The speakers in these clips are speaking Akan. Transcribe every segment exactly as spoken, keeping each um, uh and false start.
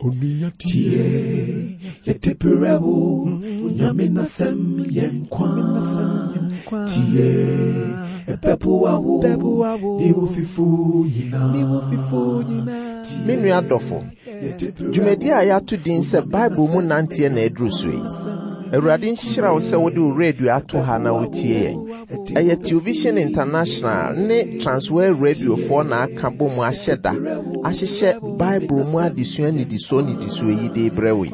Onua tie, yɛde brɛ wo, Nyame n'asɛm yɛ nkwa. Tie, ɛbɛboa wo, ne wo fifo nyinaa. Me nua dɔfo, dwumadi a yɛato din sɛ Bible mu nanteɛ na aduru so yi. Awurade nhyira wo sɛ wode wo radio ato ha na wotie yɛn. Ɛyɛ Television International ne Transworld Radiofoɔ na aka bɔ mu ahyɛ da ahyehyɛ Bible mu adesua nnidisoɔ nnidisoɔ yi de brɛ wo yi.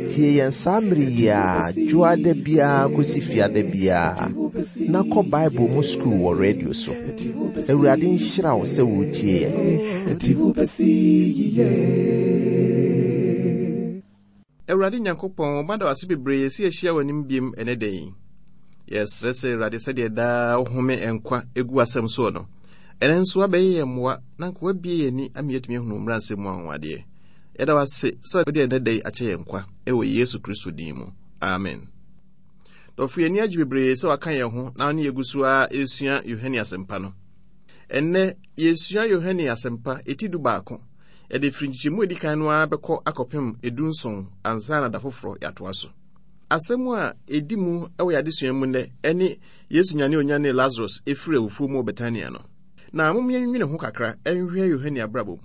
Tie yɛn saa mmere yi a dwoada biara kɔsi fiada biara na kɔ Bible mu sukuu wɔ radio so. Awurade nhyira wo sɛ wotie yɛn. Ɛde wo bɛsi yiye. Awurade Nyankopɔn, mada wo ase bebree sɛ yɛahyia w'anim biem ɛnɛ da yi. Yɛsrɛ sɛ Awurade sɛdeɛ daa wohome nkwa egu asɛm soɔ no, ɛnɛ nso abɛyɛ yɛn mmoa na nka woabie yɛn ani ama yɛatumi ahunu mmara nsɛm mu anwanwadeɛ. Yɛda wo ase sɛ wode ɛnɛ da yi akyɛ yɛn nkwa ɛwɔ Yesu Kristo din mu. Amen. Dɔfo, yɛn ani agye bebree sɛ waka yɛn ho na ne yɛgu so a ɛresua Yohane Asɛmpa no. Ɛnnɛ yɛsua Yohane Asɛmpa eti du baako. Yɛde firi nkyekyɛmu a edi kan no ara bɛkɔ akɔpem edu nson ansa na da foforɔ yɛatoa so. Asɛm a edi mu wɔ yɛn adesua mu nnɛ ɛne Yesu nyane onyane Lazarus efiri awufoɔ mu wɔ Betania no. Na mom yɛnwene ho kakra ɛnhwɛ Yohane abrabɔ mu.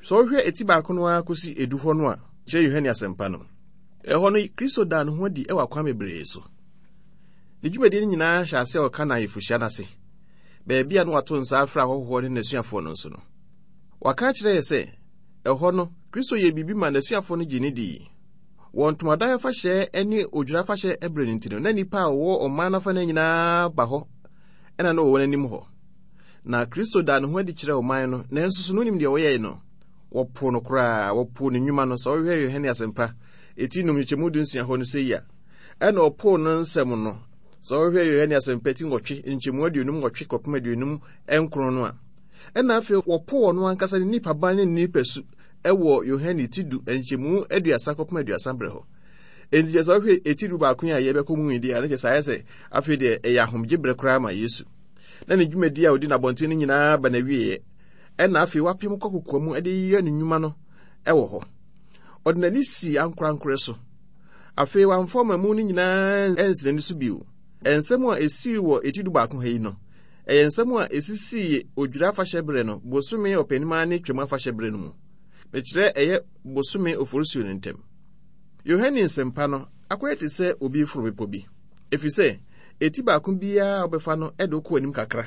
Sɛ wohwɛ eti baako no ara kɔsi edu hɔ no a, kyerɛ Yohane Asɛmpa no. Ɛhɔ no, Kristo daa ne ho adi wɔ akwan bebree so. Ne dwumadie no nyinaa hyɛ ase a ɔka n'ayeforɔhyia no ase. Baabi a na wato nsa afrɛ ahɔhoɔ ne n'asuafoɔ no nso no. Waka akyerɛ yɛ sɛ, ɛhɔ no, Kristo yɛ biribi ma n'asuafoɔ no gye ne dii. Wɔ ntomadan afahyɛ ne odwira afahyɛ ɛberɛ no nti no, na nnipa a wɔwɔ ɔman no afa no nyinaa ba hɔ, ɛna na wɔwɔ n'anim hɔ. Na Kristo daa ne ho adi kyerɛɛ ɔman no, nanso so no nim deɛ wɔyɛe no. Wɔpoo no koraa, wɔpoo ne nnwuma no. Sɛ wohwɛ Yohane Asɛmpa eti num nkyekyɛmu du nsia hɔ no sɛ yi a, ɛna ɔpoo no nsɛm no. Sɛ wohwɛ Yohane Asɛmpa ti nwɔtwe nkyɛmu aduonum nwɔtwe kɔpem aduonum nkron no a, ɛna afei wɔpoo ɔno ankasa ne nipa ban ne ne nipa su ɛwɔ Yohane ti du nkyɛmu aduasa kɔpem aduasa berɛ hɔ. Enti kyerɛ sɛ wohwɛ eti du baako yi a yɛbɛkɔ mu yi deɛ, ɛno kyerɛ sɛ ayɛ sɛ afei deɛ ɛyɛ ahomgye berɛ koraa ma Yesu. Na ne dwumadi a ɔdi n'abɔnten no nyinaa ba n'awieeɛ. Ɛna afei wapem kɔ kokoa mu de yɛ ne nnwuma no ɛwɔ hɔ. Ɔde n'ani sii ankorankorɛ so. Afei wamfa ɔmamu no nyinaa ansi n'ani so bio. Nsɛm a esii wɔ eti du baako ha yi no, ɛyɛ nsɛm a esisii odwira afahyɛ berɛ no, bosome ɔpɛnimaa ne twam afahyɛ berɛ no mu. Mekyerɛ ɛyɛ bosome oforisuo no ntam. Yohane Nsɛmpa no akɔyɛ te sɛ obi foro bepɔ bi. Ɛfiri sɛ, eti baako biara a wobɛfa no ɛde wokɔ anim kakra.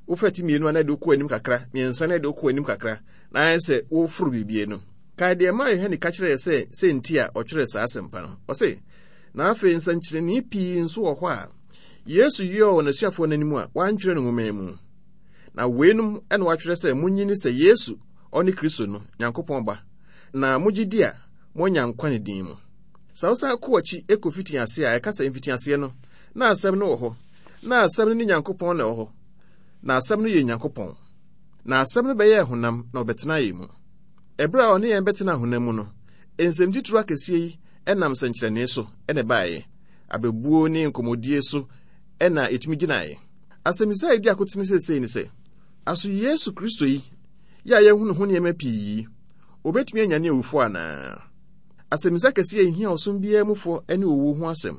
Wofa ti mmienu a na ɛde wokɔ anim kakra, mmiɛnsa na ɛde wokɔ anim kakra, na ayɛ sɛ woforo biribi no. Kae deɛ maa Yohane ka kyerɛɛ sɛ sɛ nti a ɔtwerɛɛ saa asɛmpa no. Ɔse, na afei nsɛnkyerɛnne pii nso wɔ hɔ a Yesu yɛɛ wɔ n'asuafoɔ no anim a wantwerɛ no nwoma mu. Na weinom ɛna watwerɛ sɛ monnye nni sɛ Yesu ɔne Kristo no, Nyankopɔn Ba, na mogye di a moanya nkwa ne din mu. Sɛ wosan kɔ akyi ɛkɔ mfitiaseɛ a ɛka sɛ mfitiaseɛ no, na asɛm no wɔ hɔ, na asɛm no ne Nyankopɔn na ɛwɔ hɔ, na asɛm no yɛ Nyankopɔn. Na asɛm no bɛyɛɛ honam na ɔbɛtena yɛn mu. Ɛberɛ a ɔne yɛn bɛtena honam mu no, nsɛm titiriw akɛseɛ yi ɛnam nsɛnkyerɛnne so ɛna ɛbaeɛ. Abɛbuo ne nkɔmmɔdie so ɛna ɛtumi gyinaeɛ. Asɛmmisa a ɛdi akotene seesei ne sɛ, aso Yesu Kristo yi, yɛ a yɛahu ne ho nneɛma pii yi, obetumi anyane awufoɔ anaa? Asɛmmisa kɛseɛ a ehia ɔsom biara mufoɔ ne owuo ho asɛm.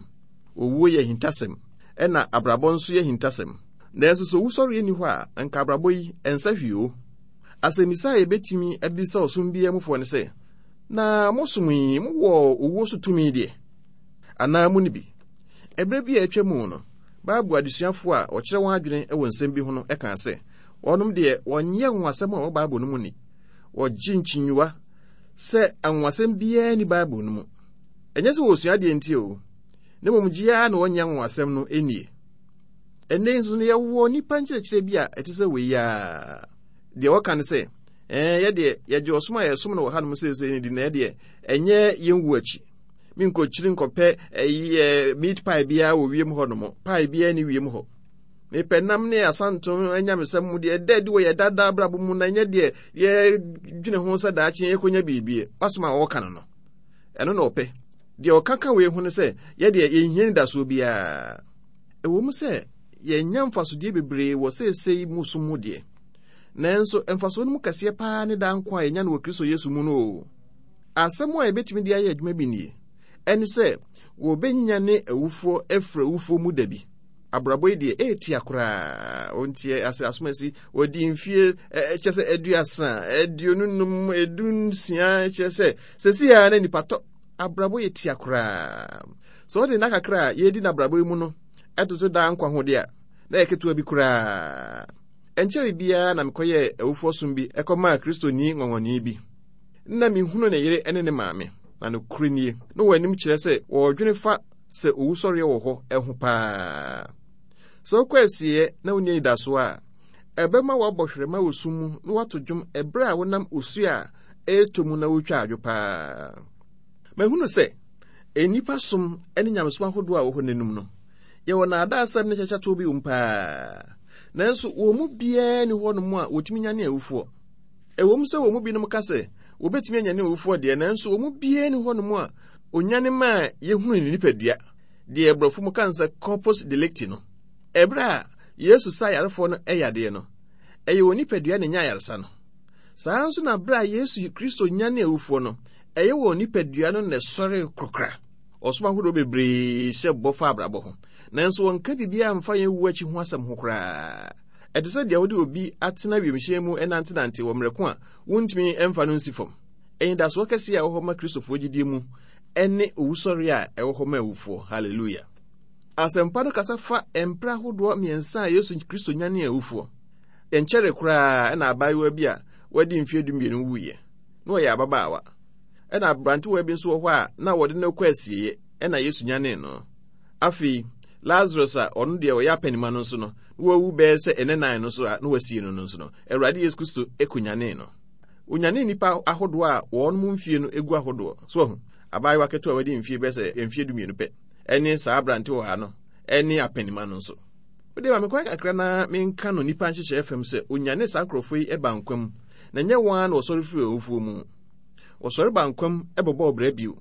Owuo yɛ ahintasɛm, ɛna abrabɔ nso yɛ ahintasɛm. Nanso sɛ owusɔreɛ nni hɔ a, anka abrabɔ yi ɛnsa hwee o. Asɛmmisa a yɛbɛtumi abisa ɔsom biara mufoɔ ne sɛ, na mosom yi, mowɔ owuo so tumi deɛ? Anaa mo ni bi? Ɛberɛ bi a atwa mu no, Bible adesuafoɔ a wɔkyerɛ wɔn adwene wɔ nsɛm bi ho no kaa sɛ, wɔnom deɛ wɔnyɛ anwonwasɛm a ɛwɔ Bible no mu ni. Wɔgye nkyinyiwa sɛ anwonwasɛm biara nni Bible no mu. Ɛnyɛ sɛ wɔresua adeɛ nti o, na mmom gye ara na wɔnyɛ anwonwasɛm no nnie. Ɛnnɛ nso no, yɛwɔ nnipa nkyerɛkyerɛ bi a ɛte sɛ wei ara. Deɛ wɔka ne sɛ, ɛɛ, yɛdeɛ yɛgye ɔsom a yɛsom no wɔ hanom seesei no di, na ɛdeɛ ɛnyɛ yɛn wu akyi. Menkɔkyiri nkɔpɛ ɛyi meat pie biara wɔ wiem hɔ nom. Pie biara ni wiem hɔ. Mepɛ nam ne asantom anyamesɛm mu deɛ ɛda adi wɔ yɛ dada abrabɔ mu na ɛnyɛ deɛ yɛdwene ho sɛ daakye yɛkɔnya biribi. Wasom a wɔka no no, ɛno na ɔpɛ. Deɛ ɔka ka wei ho ne sɛ, yɛdeɛ yɛnhia nidasoɔ biara. Ɛwɔ mu sɛ yɛnya mfasodeɛ bebree wɔ seesei mu som mu deɛ, nanso mfasoɔ no mu kɛseɛ paa ne daa nkwa a yɛnya no wɔ Kristo Yesu mu no o. Asɛm a yɛbɛtumi de ayɛ adwuma bi nie. Ɛne sɛ, wɔbɛnyane awufoɔ afiri awufoɔ mu da bi. Abrabɔ yi deɛ, ɛɛtia koraa. Ɔntie ase asomasi, wɔdi mfie kyɛ sɛ aduasa, aduonu num, edu nsia, kyerɛ sɛ, sɛsi a na nipa tɔ. Abrabɔ yɛ tia koraa. Sɛ ɔde nna kakra a yɛdi n'abrabɔ yi mu no, ɛtoto daa nkwa ho deɛ a, na yɛ ketewa bi koraa. Ɛnkyɛre biara na mekɔyɛɛ awufoɔ som bi ɛkɔmaa Kristoni nwanwani bi. Na mehunu ne yere ne ne maame, na nokorɛ nie, na wɔn anim kyerɛ sɛ wɔredwene fa sɛ owusɔreɛ wɔ hɔ ɛho paa. Sɛ wokɔ asieɛ na wonni anidasoɔ a, ɛbɛma woabɔ hwerɛma wɔ sum mu na woato dwom ɛberɛ a wonam osuo a ɛretɔ mu na wotwa adwo paa. Mahunu sɛ nnipa som ne nyamesom ahodoɔ a wɔ hɔ n'anim no, yɛwɔ nnaadaasɛm ne kyakyatoɔ bi wɔ mu paa. Nanso wɔn mu biara nni hɔnom a wɔtumi nyane awufoɔ. Ɛwɔ mu sɛ wɔn mu binom ka sɛ wɔbɛtumi anyane awufoɔ deɛ, nanso wɔn mu biara nni hɔnom a onyane maa yɛhunu ne nipadua, deɛ aborɔfo mu ka no sɛ corpus delicti no. Ɛberɛ a Yesu saa ayarefoɔ no yadeɛ no, ɛyɛ wɔn nipadua na ɛnya ayaresa no. Saa nso na berɛ a Yesu Kristo nyane awufoɔ no, ɛyɛ wɔn nipadua no na ɛsɔre korokora. Ɔsom ahodoɔ bebree hyɛ bɔ fa abrabɔ ho, nanso wɔnka biribiara mfa yɛn wu akyi ho asɛm ho koraa. Ɛte sɛ deɛ wode obi atena wiemhyɛn mu ɛnantenante wɔ mmerɛ ko a wontumi mfa no nsi fam. Anidasoɔ kɛseɛ a ɛwɔ hɔ ma Kristofoɔ gyidie mu ɛne owusɔre a ɛwɔ hɔ ma awufoɔ. Hallelujah. Asɛmpa no kasa fa mprɛ ahodoɔ mmiɛnsa a Yesu Kristo nyane awufoɔ. Ɛnkyɛre koraa ɛna abaayewa bi a wadi mfeɛ dumienu wuiɛ, na ɔyɛ ababaawa. Ɛna aberantewa bi nso wɔ hɔ a na wɔde no kɔ asieeɛ, ɛna Yesu nyanee no. Afei, Lazarus a ɔno deɛ ɔyɛ apanima no nso no, na wawu bɛyɛ sɛ ɛnɛ nan no so a na wasie no no nso no, Awurade Yesu Kristo kɔnyanee no. Onyanee nnipa ahodoɔ a wɔn mu mfie no gu ahodoɔ. So ahu, abaayewa ketewa a wadi mfie bɛyɛ sɛ mfie dumienu pɛ, ɛne saa aberantewa no, ɛne apanima no nso. Wode ma me kwan kakra na menka no nnipa nhyehyɛeɛ fam sɛ onyane saa nkurɔfoɔ yi ba nkwa mu, na ɛnyɛ wɔn ara na wɔsɔre firi awufoɔ mu. Wɔsɔre ba nkwa mu bɛbɔ ɔbrɛ bio.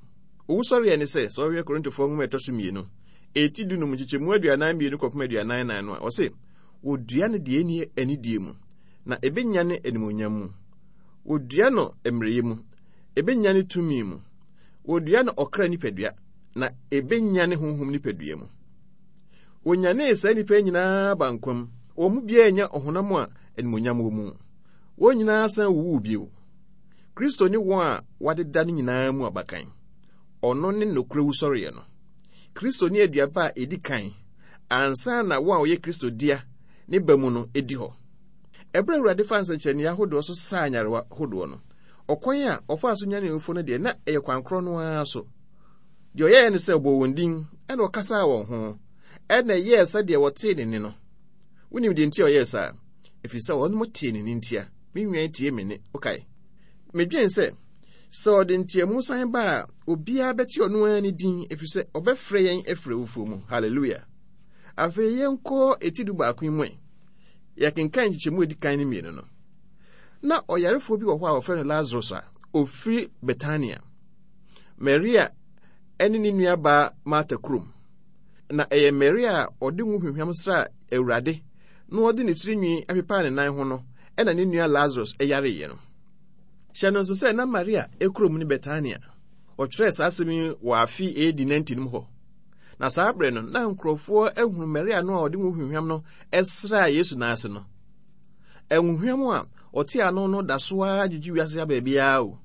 Owusɔreɛ ne sɛ, sɛ ɔhwɛ Korintofoɔ nwoma ɛtɔ so mmienu, eti dunum nkyekyɛmu aduanan mmienu kɔpem aduanan nan no a, ɔse, wɔdua no deɛ ɛnni anidie mu, na ɛbɛnyane animuonyam mu. Wɔdua no mmerɛyɛ mu, ɛbɛnyane tumi mu. Wɔdua no ɔkra nipadua, na ɛbɛnyane honhom nipadua mu. Wɔnyanee saa nnipa nyinaa ba nkwa mu. Wɔn mu biara nya ɔhonam a animuonyam wɔ mu. Wɔn nyinaa san wuwuu bio. Kristo ne wɔn a wɔadeda no nyinaa mu abakan. Ɔno ne nokorɛ wusɔreɛ no. Kristo ne aduaba a ɛdi kan ansa na wɔn a wɔyɛ Kristo dea ne ba mu no di hɔ. Ɛberɛ a Awurade faa nsɛnkyerɛnneɛ ahodoɔ so saa nyarewa ahodoɔ no, ɔkwan a ɔfaa so nyanee awufoɔ no deɛ, na ɛyɛ kwan korɔ no ara so. Deɛ ɔyɛeɛ ne sɛ ɔbɔɔ wɔn din, ɛna ɔkasaa wɔn ho, ɛna ɛyɛɛ sɛdeɛ wɔtee ne nne no. Wonim deɛ nti a ɔyɛɛ saa? Ɛfiri sɛ wɔnom tee ne nne ntia. Me nnwan tie me nne. Wokae? Medwen sɛ, sɛ ɔde nteamu san ba a, obiara bɛte ɔno ara ne din, ɛfiri sɛ ɔbɛfrɛ yɛn afiri awufoɔ mu. Hallelujah. Afei yɛnkɔ eti du baako yi mu ɛ. Yɛkenkan nkyekyɛmu a edi kan ne mmienu no. Na ɔyarefoɔ bi wɔ hɔ a wɔfrɛ no Lazarus a ofiri Betania, Maria ne ne nuabaa Marta kurom. Na ɛyɛ Maria a ɔde ngo hwehwam sraa Awurade na ɔde ne tirinwi apepaa ne nan ho no ɛna ne nua Lazarus yareeɛ no. Hyɛ no nso sɛ na Maria kurom ne Betania. Ɔtwerɛɛ saa asɛm yi wɔ afe A D ninety no mu hɔ. Na saa berɛ no, na nkurɔfoɔ ahunu Maria no a ɔde ngo hwehwam no sraa Yesu nan ase no. Ngo hwam a ɔte ano no da so ara gyegye wiase ha baabiara o.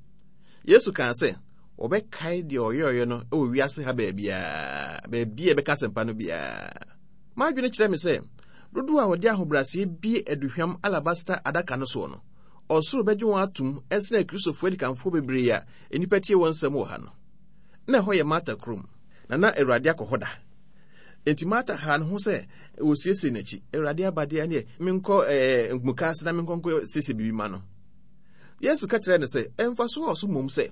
Yesu kaa sɛ, wɔbɛkae deɛ ɔyɛeɛ no wɔ wiase ha baabiara, baabi a ɛbɛka asɛmpa no biara. M'adwene kyerɛ me sɛ, dodoɔ a wɔde ahobrɛaseɛ bie aduhwam alabasta adaka no soɔ no, ɔsoro bɛgye wɔn atom ɛsene Akristofoɔ adikanfoɔ bebree a nnipa tie wɔn nsɛm wɔ ha no. Na ɛhɔ yɛ Marta kurom, na na Awurade akɔ hɔ da. Enti Marta haa ne ho sɛ wɔsiesie n'akyi. Awurade aba deɛ, ɛneɛ menkɔ ɛɛ mukaase na menkɔ nkɔ siesie biribi ma no. Yesu ka kyerɛɛ no sɛ, ɛmfa so a ɔso mmom sɛ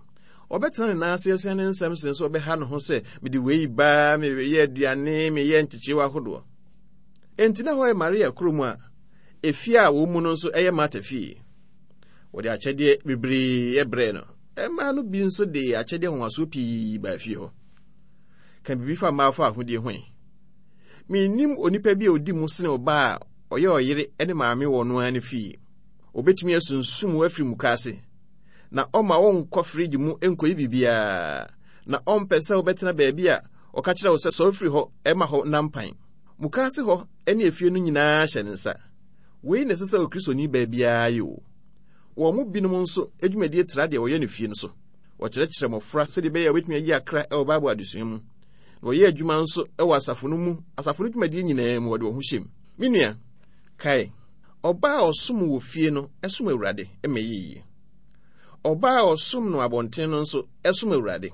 ɔbɛtena ne nan ase asua ne nsɛm sen sɛ ɔbɛha ne ho sɛ mede wei ba, meyɛ aduane, meyɛ nkyekyewa ahodoɔ. Enti na hɔ yɛ Maria kurom a efie a wɔn mu no nso ɛyɛ Marta fie. Wɔde akyɛdeɛ bebree brɛɛ no. Mmaa no bi nso de akyɛdeɛ nwanwasoɔ pii baa fie hɔ. Ka biribi fa mmaa fa ahodie ho ɛ. Mennim onipa bi a odi mu sene ɔbaa a ɔyɛ ɔyere ne maame wɔ no ara ne fie. Obetumi asunsum wo afiri mukaase Na ɔma wonkɔ fridge mu nkɔyi biribiara. Na ɔmpɛ sɛ wobɛtena baabi a ɔka kyerɛ wo sɛ sɔre firi hɔ ɛma hɔ nampan. Mukaase hɔ ne efie no nyinaa hyɛ ne nsa. Wei na ɛsɛ sɛ Okristoni baa biara yɛ o. Wɔn mu binom nso adwumadie tra deɛ wɔyɛ no fie no so. Wɔkyerɛkyerɛ mmɔfra sɛdeɛ ɛbɛyɛ a wɔbɛtumi ayi akra wɔ Bible adesua mu. Na wɔyɛ adwuma nso wɔ asafo no mu, asafo no dwumadie nyinaa mu wɔde wɔn ho hyɛ mu. Me nua, kae, ɔbaa a ɔsom wɔ fie no som Awurade ma ɛyɛ yie. Ɔbaa a ɔsom no abɔnten no nso som Awurade.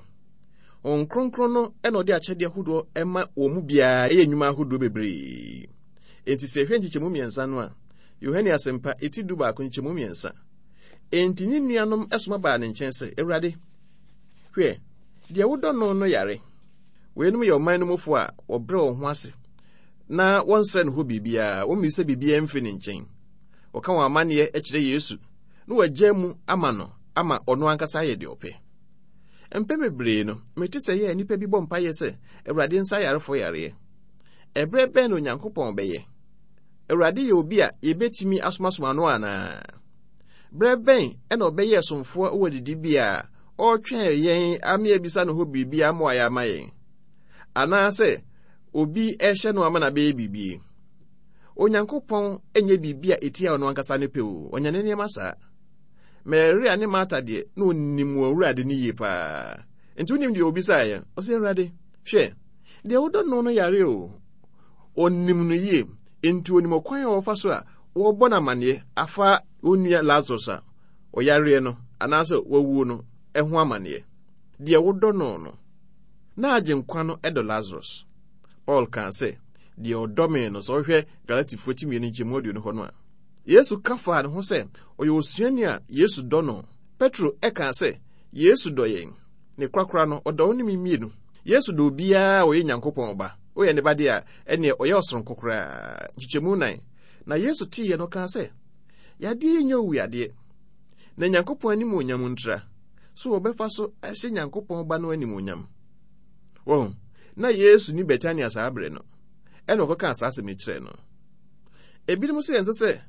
Honhom Kronkron no na ɔde akyɛdeɛ ahodoɔ ma wɔn mu biara ɛyɛ nnwuma ahodoɔ bebree. Enti sɛ yɛhwɛ nkyekyɛmu mmiɛnsa no a, Yohane Asɛmpa eti du baako nkyekyɛmu mmiɛnsa. Enti ne nuanom soma baa ne nkyɛn sɛ, Awurade, hwɛ, deɛ wodɔ no no yare. Weinom yɛ ɔman no mufo a wɔbrɛ wɔn ho ase na wɔnsrɛ ne hɔ biribiara, wɔmmisa biribiara mfiri ne nkyɛn. Wɔka wɔn amanneɛ kyerɛ Yesu na wɔagya mu ama no ama ɔno ankasa ayɛ deɛ ɔpɛ. Mpɛn bebree no, mete sɛ yɛ nnipa bi bɔ mpaeɛ sɛ Awurade nsa ayarefo yareɛ. Ɛberɛ bɛn na Onyankopɔn bɛyɛ? Awurade yɛ obi a yɛbɛtumi asomasoma no anaa? Berɛ bɛn na ɔbɛyɛ ɛsomfoɔ wɔ didibea a ɔretwɛn yɛn ama yɛabisa ne hɔ biribi ama wayɛ ama yɛn? Anaasɛ obi rehyɛ no ama no abɛyɛ biribi? Onyankopɔn nyɛ biribi a ɛtia ɔno ankasa ne pɛ o, ɔnyɛ ne nneɛma saa. Maria ne Marta deɛ, na ɔnim wɔn Awurade no yie paa. Nti wonim deɛ ɔbisaeɛ? Ɔsɛ, Awurade, hwɛ, deɛ wodɔ no no yare o. Ɔnim no yie, nti ɔnim ɔkwan a wɔfa so a wɔbɔ no amanneɛ afa onua Lazarus a ɔyareɛ no anaasɛ wawuo no ho amanneɛ. Deɛ wodɔ no no, na Agyenkwa no dɔ Lazarus. Paul kaa sɛ, deɛ ɔdɔ me no, sɛ wohwɛ Galatifoɔ ti mmienu nkyɛmu aduonu hɔ no a, Yesu ka faa ne ho sɛ ɔyɛ osuani a Yesu dɔ no. Petro kaa sɛ, Yesu dɔ yɛn. Ne korakora no, ɔdɔ wo ne me mmienu. Yesu dɔ obiara a ɔyɛ Nyankopɔn ba. Woyɛ ne ba deɛ a, ɛneɛ ɔyɛ ɔsoronko koraa. Nkyekyɛmu nan. Na Yesu teeɛ no, ɔkaa sɛ, Yadeɛ yi nyɛ owuyadeɛ, na Nyankopɔn animuonyam ntira, so wɔbɛfa so ahyɛ Nyankopɔn ba no animuonyam. Wɔn, na Yesu ni Betania saa berɛ no, ɛna ɔkɔkaa saa asɛm yi kyerɛɛ no. Ebinom sɛ ɛnsɛ sɛ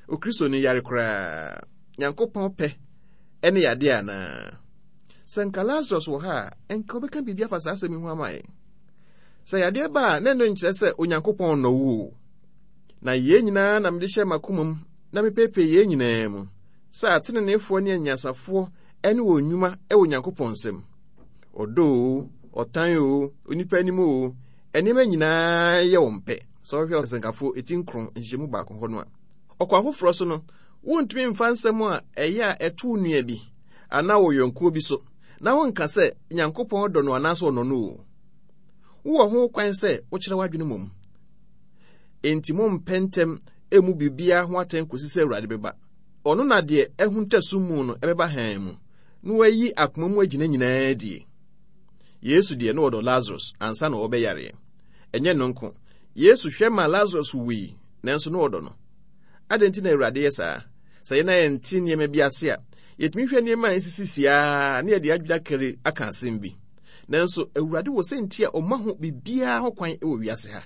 Okristoni yare koraa. Nyankopɔn pɛ ne yadeɛ anaa? Sɛ nka Lazarus wɔ ha a, nka ɔbɛka biribi afa saa asɛm yi ho ama yɛn. Sɛ yadeɛ ba a, na ɛno nkyerɛ sɛ Onyankopɔn nnɔ wo o. Na yei nyinaa na mede hyɛ m'akoma mu na mepeepee yei nyinaa mu, sɛ ateneneefoɔ ne anyansafoɔ ne wɔn nnwuma wɔ Onyankopɔn nsam. Ɔdɔ o, ɔtan o, onipa anim o, nneɛma nyinaa yɛ wɔn pɛ. Sɛ wohwɛ Ɔsɛnkafoɔ eti nkron nhyehyɛmu baako hɔ no a. Ɔkwan foforɔ so no, wontumi mfa nsɛm a ɛyɛ a ɛto wo nua bi anaa wɔ yɔnkoɔ bi so na wonka sɛ Nyankopɔn dɔ no anaasɛ ɔnɔ no o. Wowɔ ho kwan sɛ wokyerɛ w'adwene mmom. Enti mompɛ ntɛm mmu biribiara ho atɛn kɔsi sɛ Awurade bɛba. Ɔno na deɛ ahunta sum mu no ɛbɛba hann mu, na wayi akoma mu agyina nyinaa adie. Yesu deɛ na ɔdɔ Lazarus ansa na ɔbɛyareɛ. Ɛnyɛ no nko, Yesu hwɛ ma Lazarus wui, nanso na ɔdɔ no. Adɛn nti na Awurade yɛ saa? Sɛ yɛn a yɛnte nneɛma bi ase a, yɛtumi hwɛ nneɛma a ɛsisisi ara na yɛde adwene akari aka asɛm bi. Nanso Awurade wɔ sɛ nti a ɔma ho biribiara ho kwan wɔ wiase ha.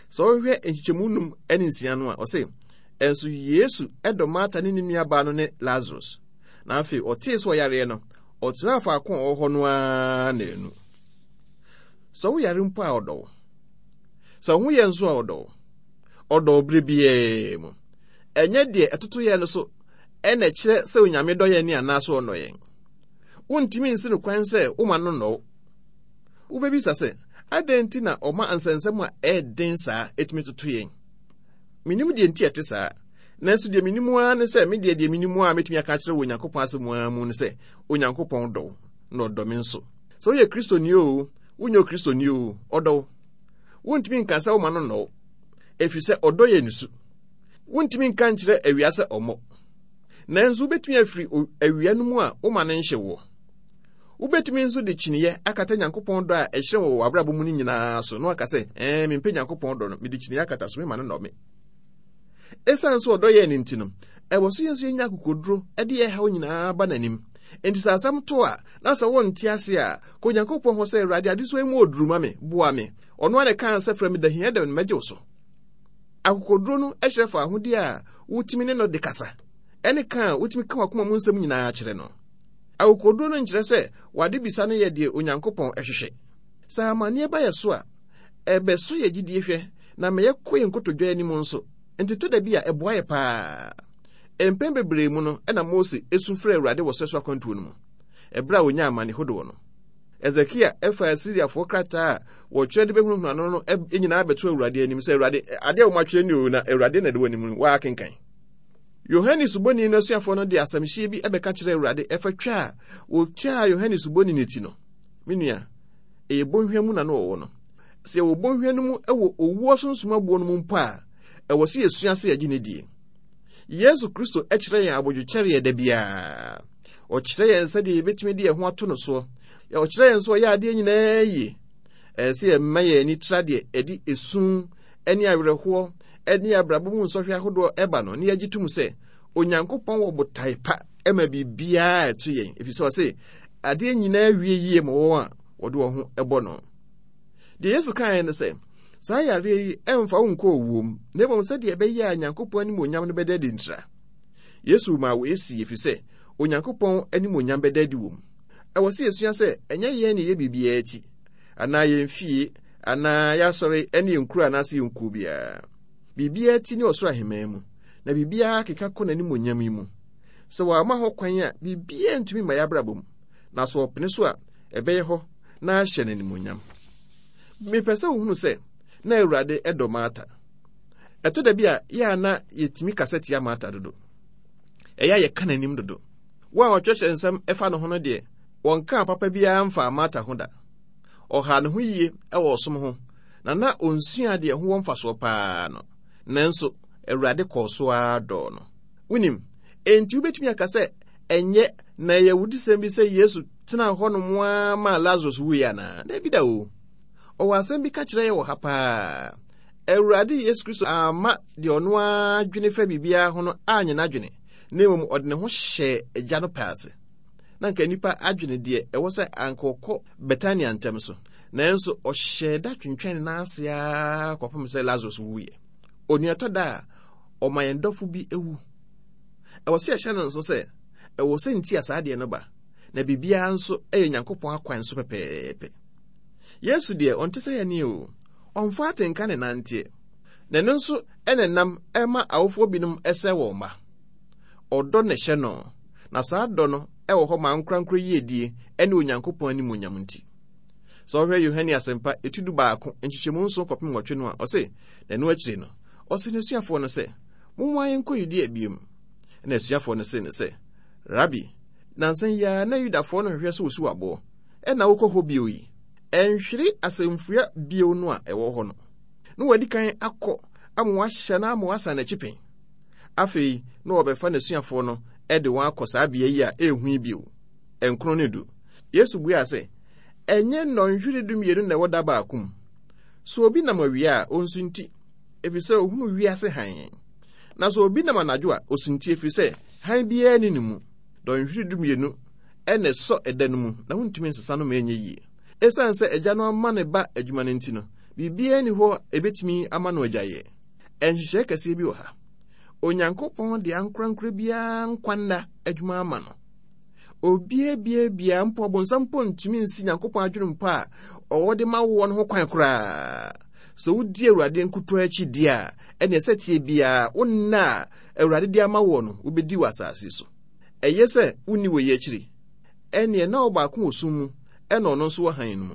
Sɛ wohwɛ nkyekyɛmu num ne nsia no a, ɔse, ɛnso Yesu dɔ Marta ne ne nuabaa no ne Lazarus. Na afei ɔtee sɛ ɔyareɛ no, ɔtenaa faako a ɔwɔ hɔ no ara naanu. Sɛ woyare mpo a ɔdɔ wo. Sɛ wo ho yɛ nso a ɔdɔ wo. Ɔdɔ wo bere biara mu. Ɛnyɛ deɛ ɛtoto yɛn no so ɛna ɛkyerɛ sɛ Onyame dɔ yɛn ne anaasɛ ɔnnɔ yɛn. Wontumi nsi no kwan sɛ woma no nnɔ wo. Wobɛbisa sɛ, adɛn nti na ɔma nsɛnsɛm a ɛyɛ saa ɛtumi toto yɛn? Menim deɛ nti ɛte saa. Nanso deɛ menim ara ne sɛ, me deɛ deɛ menim ara mɛtumi aka akyerɛ wɔ Onyankopɔn asɛm mu ara mu ne sɛ, Onyankopɔn dɔ wo, na ɔdɔ me nso. Sɛ woyɛ Kristoni o, wonyɛ Kristoni o, ɔdɔ wo. Wontumi nka sɛ woma no nnɔ wo, ɛfiri sɛ ɔdɔ yɛ ne su. Wontumi nka nkyerɛ awia sɛ ɔmmɔ. Nanso wobɛtumi afiri awia no mu a woma no nhye woɔ. Wobɛtumi nso de kyiniiɛ akata Nyankopɔn dɔ a ɛhyerɛn wɔ w'abrabɔ mu no nyinaa so na waka sɛ, ɛɛ, mempɛ Nyankopɔn dɔ no, mede kyiniiɛ akata so, mema no nnɔ me. Ɛsiane sɛ ɔdɔ yɛn no nti no, ɛwɔ so yɛn nso yɛnya akokoduro de yɛn haw nyinaa ba n'anim. Enti sɛ asɛm to a, na sɛ wonte ase a, kɔ Onyankopɔn hɔ sɛ, Awurade, adesoa yi mu oduru ma me, boa me. Ɔno ara na ɛkaa sɛ, frɛ me da hia da no mɛgye wo so. Akokoduro no kyerɛ fa ahodie a wotumi ne no de kasa, ɛne ka a wotumi ka w'akoma mu nsɛm nyinaa kyerɛ no. Akokoduro no nkyerɛ sɛ wade bisa no yɛ deɛ Onyankopɔn ɛhwehwɛ. Sɛ amanneɛ ba yɛ so a, ɛbɛso yɛ gyidie hwɛ na ma yɛkɔ yɛn nkotodwe anim nso. Nti tɔ da bi a ɛboa yɛ paa. Mpɛn bebree mu no ɛna Mose esu frɛ Awurade wɔ sɛ so akwantuo no mu. Ɛberɛ a onyaa amane hodoɔ no. Ezekia ɛfa Asiriafoɔ krataa a wɔtwerɛ de bɛhunahuna no no nyinaa bɛto Awurade anim sɛ Awurade adeɛ a wɔatwerɛ ni o na Awurade na ɛde wɔ anim no wɔakenkan. Yohane Suboni no asuafoɔ no de asɛmhyia bi ɛbɛka kyerɛ Awurade ɛfa twa a wɔtwaa Yohane Suboni no ti no. Me nua, ɛyɛ bɔnhwa mu na no wɔwɔ no. Sɛ yɛwɔ bɔnhwa no mu ɛwɔ owuo sunsum aboɔ no mu mpo a, ɛwɔ sɛ yɛsua sɛ yɛgye ne die. Yesu Kristo kyerɛ yɛn abodwokyɛreɛ da biara. Ɔkyerɛ yɛn sɛdeɛ yɛbɛtumi de yɛn ho ato no soɔ. Ɔkyerɛ yɛn sɛ ɔyɛ adeɛ nyinaa yie. Ɛyɛ sɛ yɛmma yɛn ani tra deɛ ɛde esu ne awerɛhoɔ ne abrabɔ mu nsɔhwɛ ahodoɔ ɛba no, ne yɛgye tom sɛ Onyankopɔn wɔ botae pa ma biribiara ɛto yɛn, ɛfiri sɛ ɔse adeɛ nyinaa wie yie ma wɔn a wɔde wɔn ho ɛbɔ no. Deɛ Yesu kaeɛ ne sɛ, saa yareɛ yi ɛmfa wo nkɔ owuo mu, na mmom sɛdeɛ ɛbɛyɛ a Nyankopɔn animuonyam no bɛda adi ntira. Yesu maa wei si ɛfiri sɛ Onyankopɔn animuonyam bɛda adi wɔ mu. Ɛwɔ sɛ yɛsua sɛ ɛnyɛ yɛn ne yɛ biribiara akyi, anaa yɛn fie, anaa yɛasɔre ne yɛn kuro anaasɛ yɛn kuo biara. Biribiara ti ne ɔsoro ahemman mu, na biribiara keka kɔ n'animuonyam yi mu. Sɛ wɔama ho kwan a, biribiara ntumi mma yɛabrabɔ mu, na sɛ ɔpene so a, ɛbɛyɛ hɔ na ahyɛ n'animuonyam. Mepɛ sɛ wohunu sɛ na Awurade ɛdɔ Marta. Ɛtɔ da bi a yɛ a na yɛtumi kasa tia Marta dodo. Ɛyɛ a yɛka n'anim dodo. Wɔn a wɔtwerɛtwerɛ nsɛm ɛfa ne ho no deɛ, wɔnkaa papa biara mfaa Marta ho da. Ɔhaa ne ho yie ɛwɔ ɔsom ho, na na onsua deɛ ho wɔ mfasoɔ paa no. Nanso, Awurade kɔɔ so ara dɔɔ no. Wonim, enti wobɛtumi aka sɛ ɛnyɛ na ɛyɛ awudisɛm bi sɛ Yesu tenaa hɔnom ara maa Lazarus wuiɛ anaa? Dabi da o. Ɔwɔ asɛm bi ka kyerɛ yɛ wɔ ha paa. Awurade Yesu Kristo amma deɛ ɔno ara dwene fa biribiara ho no anyɛ n'adwene, na mmom ɔde ne ho hyɛɛ agya no pɛ ase. Na nka nnipa adwene deɛ ɛwɔ sɛ anka ɔkɔ Betania ntɛm so, nanso ɔhyɛɛ da twentwɛn ne nan ase ara kɔpem sɛ Lazarus wuiɛ. Onuatɔ da a ɔma yɛn dɔfo bi ewu. Ɛwɔ sɛ yɛhyɛ no nso sɛ ɛwɔ sɛ nti a saa adeɛ no ba, na biribiara nso ɛyɛ Nyankopɔn akwan so pɛpɛɛpɛ. Yesu deɛ ɔnte sɛ yɛne o, ɔmfa atenka ne nanteɛ. Na ɛno nso ɛna nam ɛma awofoɔ binom ɛsɛ wɔn mma. Ɔdɔ na ɛhyɛ no, na saa dɔ no ɛwɔ hɔ ma ankorankoro yiedie ɛne Onyankopɔn animuonyam nti. Sɛ ɔhwɛ Yohane Asɛmpa eti du baako nkyekyɛmu nson kɔpem nwɔtwe no a, ɔse, na ɛno akyiri no, ɔse n'asuafoɔ no sɛ, momma yɛnkɔ Yudea biom. Na asuafoɔ no se no sɛ, Rabi, nansa yi ara na Yudafoɔ no hwehwɛ sɛ wosi aboɔ, ɛna wokɔ hɔ bio yi? Ɛnhwere asɛmfua bio no a ɛwɔ hɔ no. Na wadi kan akɔ ama wahyɛ no ama wasan n'akyi pɛn. Afei, na wɔbɛfa n'asuafoɔ no de wɔn akɔ saa bea yi a ɛnhu yi bio. Nkron ne du. Yesu buaa sɛ, ɛnyɛ nnɔnhwere dumienu na ɛwɔ da baako mu. Sɛ obi nam awia a, ɔnsunti, ɛfiri sɛ ohunu wiase hann. Na sɛ obi nam anadwo a, osunti ɛfiri sɛ hann biara nni ne mu. Dɔnhwere dumienu ɛna ɛsɔ ɛda no mu, na wontumi nsesa no ma ɛnyɛ yie. Ɛsiane sɛ agya no ama ne ba adwuma no nti no, biribiara nni hɔ a ɛbɛtumi ama no agyaeɛ. Ɛnhyehyɛe kɛseɛ bi wɔ ha. Onyankopɔn de ankorankoro biara nkwa nna adwuma ama no. Obiara biara biara mpo ɔbonsam mpo ntumi nsi Nyankopɔn adwene mpo a ɔwɔ de ma woɔ no ho kwan koraa. Sɛ wodi Awurade nkutoo akyi di a, ɛneɛ sɛ tie biara wo nna a Awurade de ama woɔ no, wobɛdi wɔ asase so. Ɛyɛ sɛ wonni wɔ yi akyiri. Ɛneɛ na ɔbaako wɔ sum mu, ɛna ɔno nso wɔ hann no mu.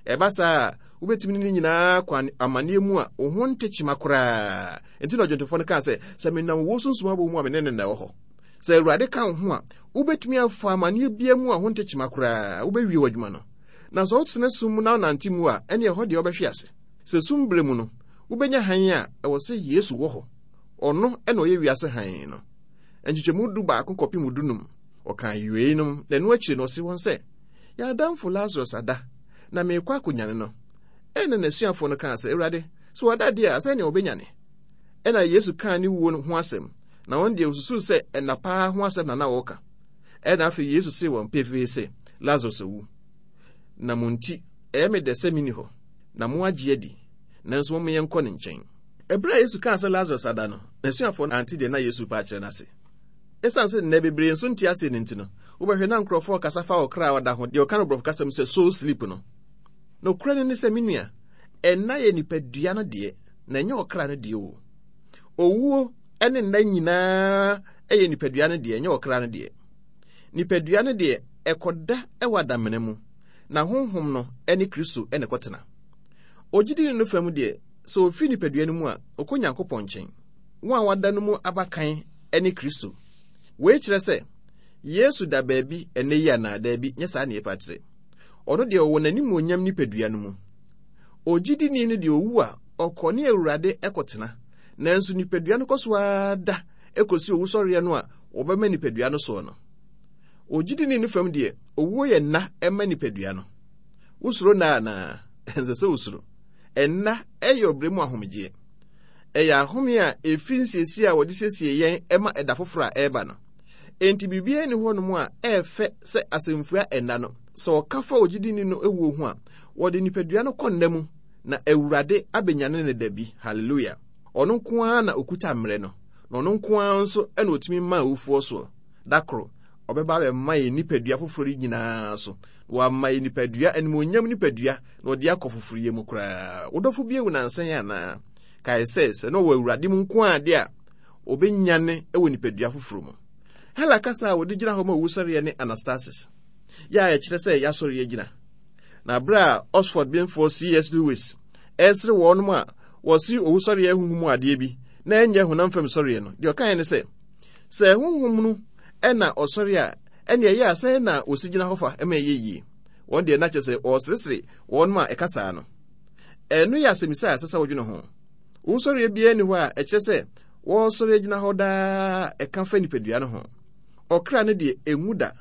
Ɛba saa a, wobɛtumi ne ne nyinaa kɔ amanneɛ mu a wo ho nte kyema koraa. Enti na ɔdwontofoɔ no kaa sɛ, sɛ menam owuo sunsum abɔ mu a, me ne no na ɛwɔ hɔ. Sɛ Awurade ka wo ho a, wobɛtumi afa amanneɛ biara mu a ho nte kyema koraa, wobɛwie w'adwuma no. Na sɛ wotena sum mu na wonante mu a, ɛne ɛhɔ deɛ wobɛhwe ase. Sɛ sum berɛ mu no, wobɛnya hann a ɛwɔ sɛ Yesu wɔ hɔ. Ɔno ɛna ɔyɛ wiase hann no. Nkyekyɛmu du baako kɔpem du num. Ɔkaa weinom, na ɛno akyiri no ɔse wɔn sɛ, yɛn adamfo Lazarus ada, na merekɔ akɔnyane no. Ɛna n'asuafoɔ no kaa sɛ, Awurade, sɛ wada deɛ a, sɛnea ɔbɛnyane. Ɛna Yesu kaa ne wuo no ho asɛm, na wɔn deɛ wɔsusuu sɛ ɛnna paa ho asɛm na na wɔreka. Ɛna afei Yesu see wɔn pefee sɛ, Lazarus awu. Na mo nti, ɛyɛ me dɛ sɛ menni hɔ, na mo agye adi, nanso momma yɛnkɔ ne nkyɛn. Ɛberɛ a Yesu kaa sɛ Lazarus ada no, n'asuafoɔ no ante deɛ na Yesu pa akyerɛ no ase. Ɛsiane sɛ nnɛ bebree nso nte aseɛ no nti no, Wobɛhwɛ na nkurɔfoɔ kasa fa ɔkra a ɔda ho, deɛ ɔka no borɔfo kasɛm sɛ soul sleep no. Nokorɛ no ne sɛ, me nua, ɛnna yɛ nipadua no deɛ, na ɛnyɛ ɔkra no deɛ o. Owuo ne nna nyinaa yɛ nipadua no deɛ, ɛnyɛ ɔkra no deɛ. Nipadua no deɛ, ɛkɔda wɔ adamena mu, na honhom no ne Kristo ne kɔtena. Ogyidini no fam deɛ, sɛ ofiri nipadua no mu a, ɔkɔ Nyankopɔn nkyɛn. Wɔn a wɔada no mu abakan ne Kristo. Wei kyerɛ sɛ, Yesu da baabi ɛnnɛ yi anaa? Daabi, nyɛ saa ne yɛpa kyerɛ. Ɔno deɛ ɔwɔ n'animuonyam nipadua no mu. Ogyidini no deɛ owu a, ɔkɔ ne Awurade ɛkɔtena. Nanso nipadua no kɔ so ara da ɛkɔsi owusɔreɛ no a wɔbɛma nipadua no soɔ no. Ogyidini no fam deɛ, owuo yɛ nna ɛma nipadua no. Wosuro nna anaa? Ɛnsɛ sɛ wosuro. Ɛnna ɛyɛ ɔbrɛ mu ahomegyeɛ. Ɛyɛ ahome a ɛfiri nsiesie a wɔde siesie yɛn ɛma ɛda foforɔ a ɛreba no. Enti biribiara nni hɔnom a ɛɛfɛ sɛ asɛmfua ɛnna no. Sɛ ɔka fa ogyidini no ewuo ho a, wɔde nipadua no kɔ nna mu na Awurade abɛnyane ne da bi. Hallelujah. Ɔno nko ara na okuta mmerɛ no, na ɔno nko ara nso na otumi ma awufoɔ soɔ. Da koro, ɔbɛba abɛma yɛn nipadua foforɔ yi nyinaa so. Wama yɛn nipadua, animuonyam nipadua, na ɔde akɔ foforɔyɛ mu koraa. Wo dɔfo bi awu nansa yi anaa? Kae sɛ, sɛ na ɔwɔ Awurade mu nko ara de a, ɔbɛnyane wɔ nipadua foforɔ mu. Hela kasa a wɔde gyina hɔ ma owusɔreɛ ne anastasis, yɛ a ɛkyerɛ sɛ yɛasɔre agyina. Na bere a Oxford benfoɔ C S Lewis ɛresere wɔnom a wɔse owusɔreɛ honhom mu adeɛ bi na ɛnyɛ honam fam sɔreɛ no, deɛ ɔkaeɛ ne sɛ, sɛ honhom no ɛna ɔsɔre a, ɛne ɛyɛ a sɛ na wɔsi gyina hɔ fa ɛma ɛyɛ yie. Wɔn deɛ na kyerɛ sɛ wɔresere wɔnom a ɛka saa no. Ɛno yɛ asɛmmisa a ɛsɛ sɛ wodwene ho. Owusɔreɛ biara nni hɔ a ɛkyerɛ sɛ wɔresɔre agyina hɔ daa ɛka fa nipadua no ho. Ɔkra no deɛ ɛnwu da,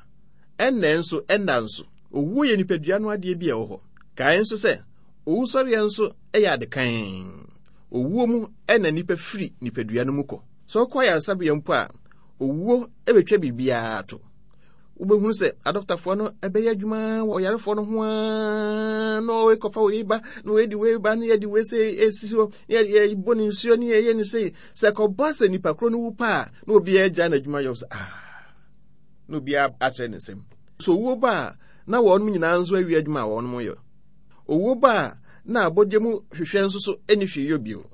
ɛnnɛ nso ɛnna nso. Owuo yɛ nipadua no adeɛ bi a ɛwɔ hɔ. Kae nso sɛ owusɔreɛ nso yɛ ade kann. Owuo mu ɛna nipa firi nipadua no mu kɔ. Sɛ ɔkɔ ayaresabea mpo a, owuo bɛtwa biribiara to. Wobɛhunu sɛ adɔktafoɔ no ɛbɛyɛ adwuma wɔ ɔyarefoɔ no ho ara, na ɔrekɔfa wei ba, na wɔadi wei ba, na yɛde wei sɛ esisi hɔ, na yɛbɔ ne nsuo, na yɛyɛ ne sei. Sɛ ɛkɔba sɛ nipa korɔ no wu pa a, na obiara agya n'adwuma yɛ sɛ, ah, na obiara akyerɛ ne nsam. So owuo ba a, na wɔn nyinaa nso awie adwuma a wɔn yɛ. Owuo ba a, na abɔdeɛ mu hwehwɛ nso so ɛni hwee yɔ bio.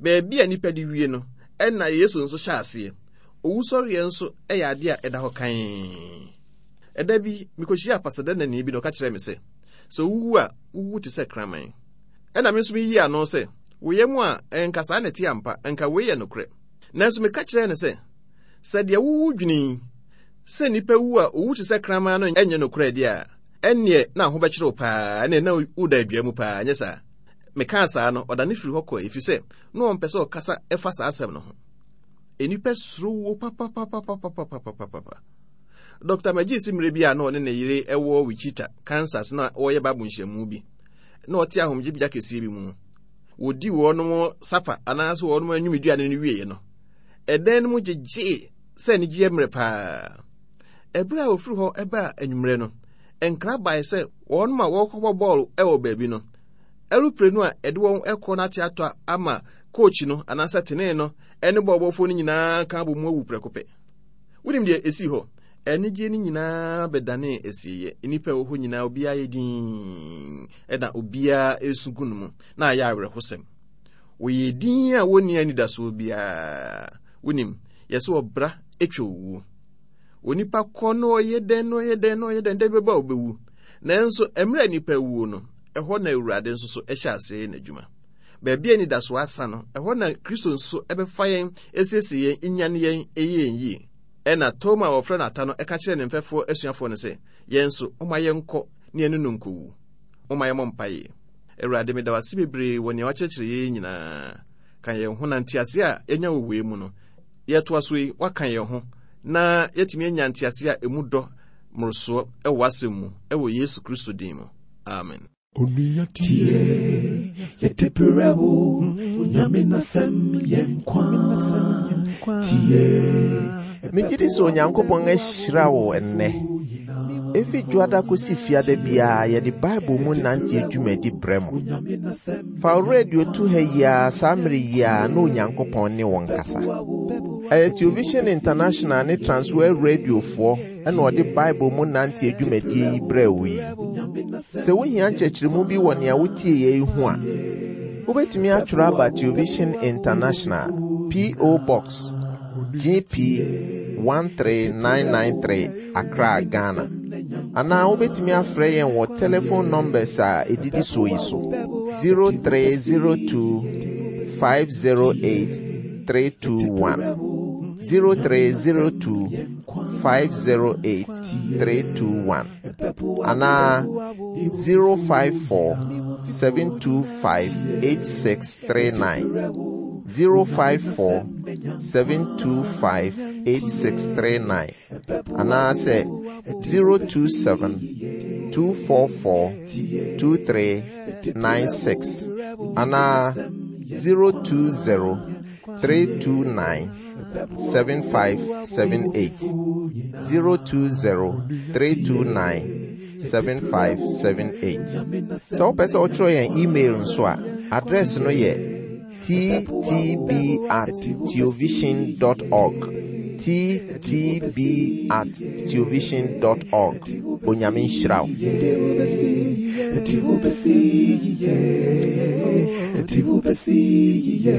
Baabi a nipa de wie no, ɛna Yesu nso hyɛ aseɛ. Owusɔreɛ nso ɛyɛ adeɛ a ɛda hɔ kann. Ɛda bi, mekɔhyia apasadanani bi na ɔka kyerɛɛ me sɛ, sɛ wowu a, wowu te sɛ kraman. Ɛna me nso meyii ano sɛ, woyɛ mu a, ɛnka saa na ɛte ampa, ɛnka wei yɛ nokorɛ. Nanso meka kyerɛɛ no sɛ, sɛ deɛ wowu dwene yi, sɛ nnipa wu a owu te sɛ kraman no ɛnyɛ nokorɛ deɛ a, ɛnneɛ na ho bɛkyerɛ wo paa, ɛnneɛ na woda adua mu paa, nyɛ saa. Mekaa saa no, ɔdane firi hɔ kɔe, ɛfiri sɛ na ɔmpɛ sɛ ɔkasa ɛfa saa asɛm no ho. Nnipa suro wuo papapapapapapapapa. Doctor Magee si mmerɛ bi a na ɔne ne yere ɛwɔ Wichita, Kansas, na wɔyɛ Bible nhyiamu bi. Na ɔte ahomegyebea kɛseɛ bi mu. Wɔdi wɔnom sapa anaasɛ wɔnom anwummeduane no wieeɛ no, ɛdan no mu gyegyee sɛ anigyeɛ mmerɛ paa. Ɛberɛ a wɔfiri hɔ ɛbaa anwummerɛ no, nkra bae sɛ wɔnom a wɔrekɔbɔ bɔɔlo ɛwɔ baabi no, ɛropire no a ɛde wɔn ɛkɔ no ate atɔ ama kookyi no anaasɛ tenee no ɛne bɔɔlbɔfoɔ no nyinaa ka abɔ mu awu prɛko pɛ. Wonim deɛ ɛsii hɔ? Anigyeɛ no nyinaa bɛdanee asieeɛ. Nnipa a ɛwɔ hɔ nyinaa obiara yɛ dinn, ɛna obiara esu gu no mu, na ayɛ awerɛhosɛm. Wɔyɛ din a wɔnni anidasoɔ biara. Wonim, yɛsɛ ɔbra atwa owuo. Onipa kɔ na ɔyɛ dɛn na ɔyɛ dɛn na ɔyɛ dɛn, dɛ bɛba a ɔbɛwu. Nanso mmerɛ a nnipa awuo no, ɛhɔ na Awurade nso so ɛhyɛ aseɛ yɛ n'adwuma. Baabi a anidasoɔ asa no, ɛhɔ na Kristo nso ɛbɛfa yɛn, esiesie yɛn, nyane yɛn, ɛyɛ yɛn yie. Ɛna Toma a wɔfrɛ no Ata no ɛka kyerɛɛ ne mfɛfoɔ asuafoɔ no sɛ, yɛn nso, momma yɛnkɔ ne yɛne no nkɔwu. Momma yɛmmɔ mpaeɛ. Awurade, meda wo ase bebree wɔ nea woakyerɛkyerɛ yɛn nyinaa. Ka yɛn ho na nteaseɛ a yɛanya wɔ wei mu no, yɛtoa so yi, woaka yɛn ho na yɛatumi anya nteaseɛ a emu dɔ mmorosoɔ wɔ w'asɛm mu, wɔ Yesu Kristo din mu. Amen. Onua tie, yɛde brɛ wo, Onyame n'asɛm yɛ nkwa. Tie. Megye di sɛ Onyankopɔn ahyira wo ɛnnɛ. Efi dwoada kosi fiada biara yɛde Bible mu nante dwumadi brɛ mo. Fa wo radio to ha yi ara saa mmere yi ara na Onyankopɔn ne wo nkasa. Ɛyɛ Television International ne Transworld Radiofoɔ ɛna ɔde Bible mu nante dwumadie yi brɛ wo yi. Sɛ wohia nkyerɛkyerɛmu bi wɔ nea wotie yɛ yi ho a, wobɛtumi atwerɛ aba Television International, P O. Box G P one three nine nine three, Accra, Ghana. Anaa wobɛtumi afrɛ yɛn wɔ telephone numbers a ɛdidi soɔ yi so: zero three zero two five zero eight three two one, zero three zero two five zero eight three two one, anaa zero five four seven two five eight six three nine, zero five four seven two five eight six three nine, anaasɛ zero two seven two four four two three nine six, anaa zero two zero three two nine seven five seven eight, zero two zero three two nine seven five seven eight. Sɛ wopɛ sɛ wotwerɛ yɛn email nso a, address no yɛ T T B at theovision dot org, T T B at theovision dot org. Onyame nhyira wo. Yɛde wo bɛsi yie, yɛde wo bɛsi yie.